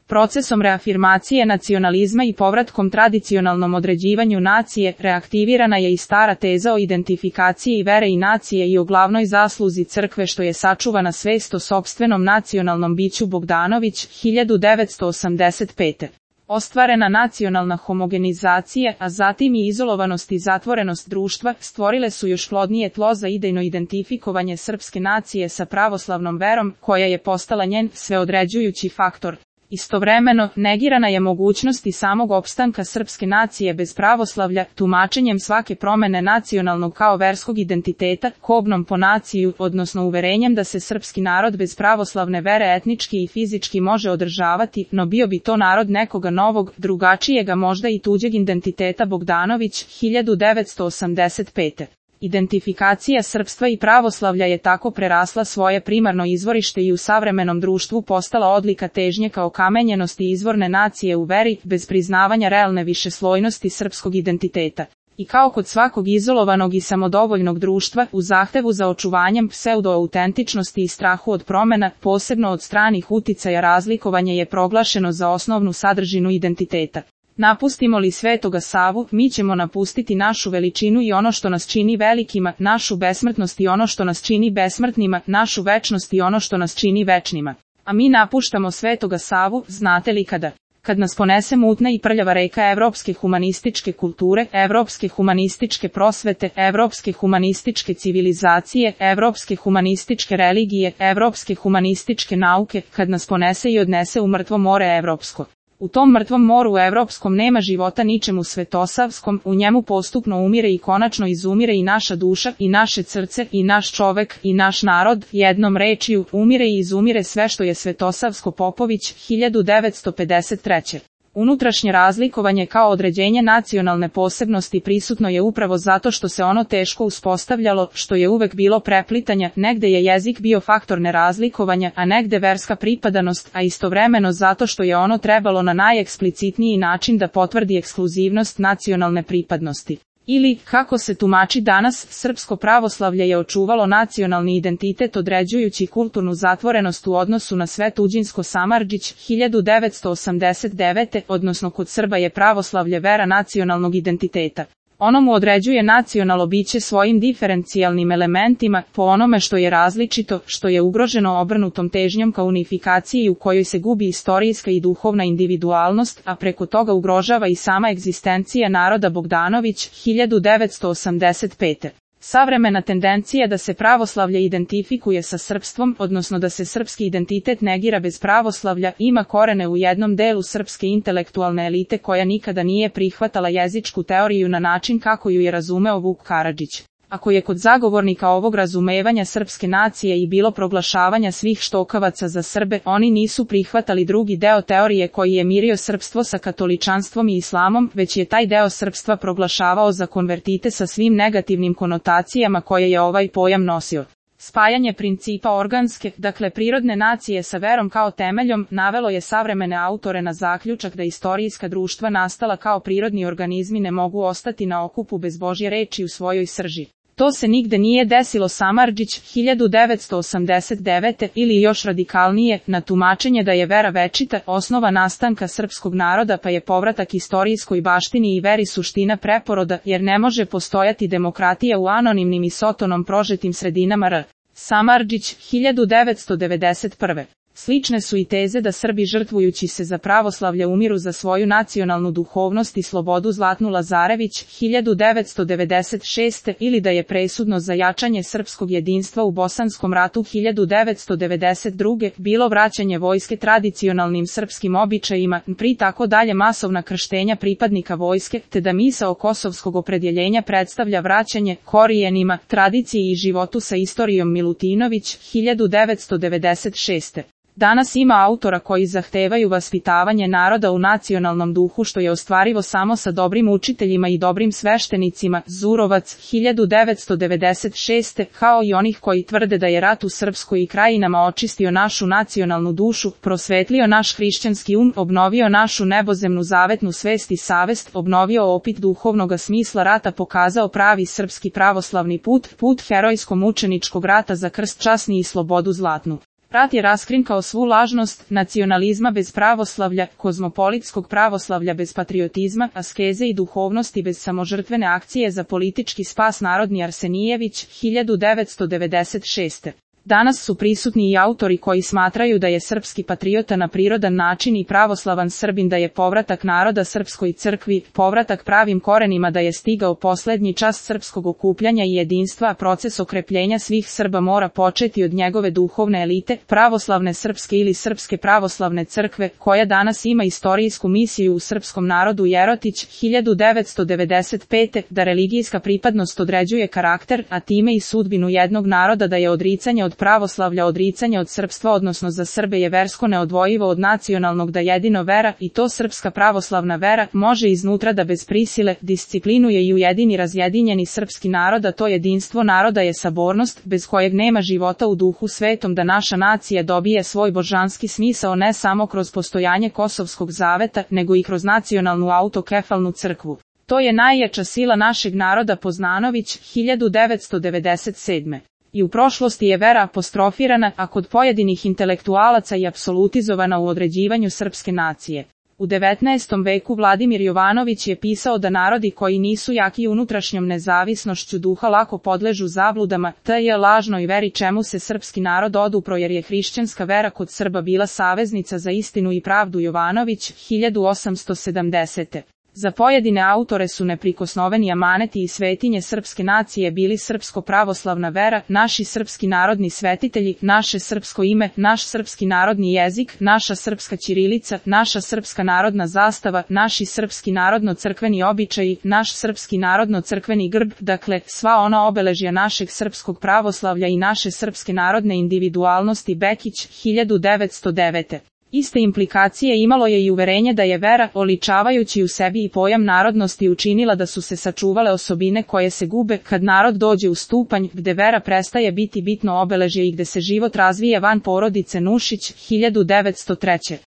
Procesom reafirmacije nacionalizma i povratkom tradicionalnom određivanju nacije, reaktivirana je i stara teza o identifikaciji vere i nacije i o glavnoj zasluzi crkve što je sačuvana svest o sopstvenom nacionalnom biću. Bogdanović, 1985. Ostvarena nacionalna homogenizacija, a zatim i izolovanost i zatvorenost društva, stvorile su još plodnije tlo za idejno identifikovanje srpske nacije sa pravoslavnom verom, koja je postala njen sveodređujući faktor. Istovremeno, negirana je mogućnost i samog opstanka srpske nacije bez pravoslavlja, tumačenjem svake promene nacionalnog kao verskog identiteta, kobnom po naciju, odnosno uverenjem da se srpski narod bez pravoslavne vere etnički i fizički može održavati, no bio bi to narod nekoga novog, drugačijega možda i tuđeg identiteta. Bogdanović, 1985. Identifikacija srpstva i pravoslavlja je tako prerasla svoje primarno izvorište i u savremenom društvu postala odlika težnje ka okamenjenosti izvorne nacije u veri, bez priznavanja realne višeslojnosti srpskog identiteta. I kao kod svakog izolovanog i samodovoljnog društva, u zahtevu za očuvanjem pseudo-autentičnosti i strahu od promena, posebno od stranih uticaja, razlikovanje je proglašeno za osnovnu sadržinu identiteta. Napustimo li Svetoga Savu, mi ćemo napustiti našu veličinu i ono što nas čini velikima, našu besmrtnost i ono što nas čini besmrtnima, našu večnost i ono što nas čini večnima. A mi napuštamo Svetoga Savu, znate li kada? Kad nas ponese mutna i prljava reka evropske humanističke kulture, evropske humanističke prosvete, evropske humanističke civilizacije, evropske humanističke religije, evropske humanističke nauke, kad nas ponese i odnese u mrtvo more evropsko. U tom mrtvom moru evropskom nema života ničemu svetosavskom, u njemu postupno umire i konačno izumire i naša duša, i naše srce, i naš čovek, i naš narod, jednom rečju, umire i izumire sve što je svetosavsko. Popović, 1953. Unutrašnje razlikovanje kao određenje nacionalne posebnosti prisutno je upravo zato što se ono teško uspostavljalo, što je uvek bilo preplitanja, negde je jezik bio faktor nerazlikovanja, a negde verska pripadanost, a istovremeno zato što je ono trebalo na najeksplicitniji način da potvrdi ekskluzivnost nacionalne pripadnosti. Ili, kako se tumači danas, srpsko pravoslavlje je očuvalo nacionalni identitet određujući kulturnu zatvorenost u odnosu na sve tuđinsko. Samardžić, 1989. Odnosno kod Srba je pravoslavlje vera nacionalnog identiteta. Ono mu određuje nacionalno biće svojim diferencijalnim elementima, po onome što je različito, što je ugroženo obrnutom težnjom ka unifikaciji u kojoj se gubi istorijska i duhovna individualnost, a preko toga ugrožava i sama egzistencija naroda. Bogdanović, 1985. Savremena tendencija da se pravoslavlje identifikuje sa srpstvom, odnosno da se srpski identitet negira bez pravoslavlja, ima korene u jednom delu srpske intelektualne elite koja nikada nije prihvatala jezičku teoriju na način kako ju je razumeo Vuk Karadžić. Ako je kod zagovornika ovog razumevanja srpske nacije i bilo proglašavanja svih štokavaca za Srbe, oni nisu prihvatali drugi deo teorije koji je mirio srpstvo sa katoličanstvom i islamom, već je taj deo srpstva proglašavao za konvertite sa svim negativnim konotacijama koje je ovaj pojam nosio. Spajanje principa organske, dakle prirodne nacije sa verom kao temeljom, navelo je savremene autore na zaključak da istorijska društva nastala kao prirodni organizmi ne mogu ostati na okupu bez Božje reči u svojoj srži. To se nigde nije desilo. Samardžić, 1989. Ili još radikalnije, na tumačenje da je vera večita, osnova nastanka srpskog naroda pa je povratak istorijskoj baštini i veri suština preporoda, jer ne može postojati demokratija u anonimnim i sotonom prožetim sredinama. R. Samardžić, 1991. Slične su i teze da Srbi žrtvujući se za pravoslavlje umiru za svoju nacionalnu duhovnost i slobodu. Zlatnu Lazarević, 1996. Ili da je presudno za jačanje srpskog jedinstva u Bosanskom ratu 1992. bilo vraćanje vojske tradicionalnim srpskim običajima, pri tako dalje masovna krštenja pripadnika vojske, te da misao kosovskog opredjeljenja predstavlja vraćanje korijenima, tradiciji i životu sa istorijom. Milutinović, 1996. Danas ima autora koji zahtevaju vaspitavanje naroda u nacionalnom duhu što je ostvarivo samo sa dobrim učiteljima i dobrim sveštenicima. Zurovac, 1996. Kao i onih koji tvrde da je rat u Srpskoj i krajinama očistio našu nacionalnu dušu, prosvetlio naš hrišćanski obnovio našu nebozemnu zavetnu svest i savest, obnovio opit duhovnoga smisla rata, pokazao pravi srpski pravoslavni put, put herojsko-mučeničkog rata za krst časni i slobodu zlatnu. Rat je raskrinkao svu lažnost nacionalizma bez pravoslavlja, kozmopolitskog pravoslavlja bez patriotizma, askeze i duhovnosti bez samožrtvene akcije za politički spas. Narodni Arsenijević, 1996. Danas su prisutni i autori koji smatraju da je srpski patriota na prirodan način i pravoslavan Srbin, da je povratak naroda srpskoj crkvi, povratak pravim korenima, da je stigao poslednji čas srpskog okupljanja i jedinstva, a proces okrepljenja svih Srba mora početi od njegove duhovne elite, pravoslavne srpske ili Srpske pravoslavne crkve, koja danas ima istorijsku misiju u srpskom narodu. Jerotić, 1995. Da religijska pripadnost određuje karakter, a time i sudbinu jednog naroda, da je odricanje od pravoslavlja odricanje od srpstva, odnosno za Srbe je versko neodvojivo od nacionalnog, da jedino vera, i to srpska pravoslavna vera, može iznutra da bez prisile disciplinuje i ujedini razjedinjeni srpski narod, a to jedinstvo naroda je sabornost, bez kojeg nema života u duhu svetom, da naša nacija dobije svoj božanski smisao ne samo kroz postojanje Kosovskog zaveta, nego i kroz nacionalnu autokefalnu crkvu. To je najjača sila našeg naroda. Poznanović, 1997. I u prošlosti je vera apostrofirana, a kod pojedinih intelektualaca i apsolutizovana u određivanju srpske nacije. U 19. veku Vladimir Jovanović je pisao da narodi koji nisu jaki unutrašnjom nezavisnošću duha lako podležu zabludama, te je lažnoj veri čemu se srpski narod odupro, jer je hrišćanska vera kod Srba bila saveznica za istinu i pravdu. Jovanović, 1870. Za pojedine autore su neprikosnoveni amaneti i svetinje srpske nacije bili srpsko pravoslavna vera, naši srpski narodni svetitelji, naše srpsko ime, naš srpski narodni jezik, naša srpska ćirilica, naša srpska narodna zastava, naši srpski narodno-crkveni običaji, naš srpski narodno-crkveni grb, dakle, sva ona obeležja našeg srpskog pravoslavlja i naše srpske narodne individualnosti. Bekić, 1909. Iste implikacije imalo je i uverenje da je vera, oličavajući u sebi i pojam narodnosti, učinila da su se sačuvale osobine koje se gube kad narod dođe u stupanj gde vera prestaje biti bitno obeležje i gde se život razvija van porodice. Nušić, 1903.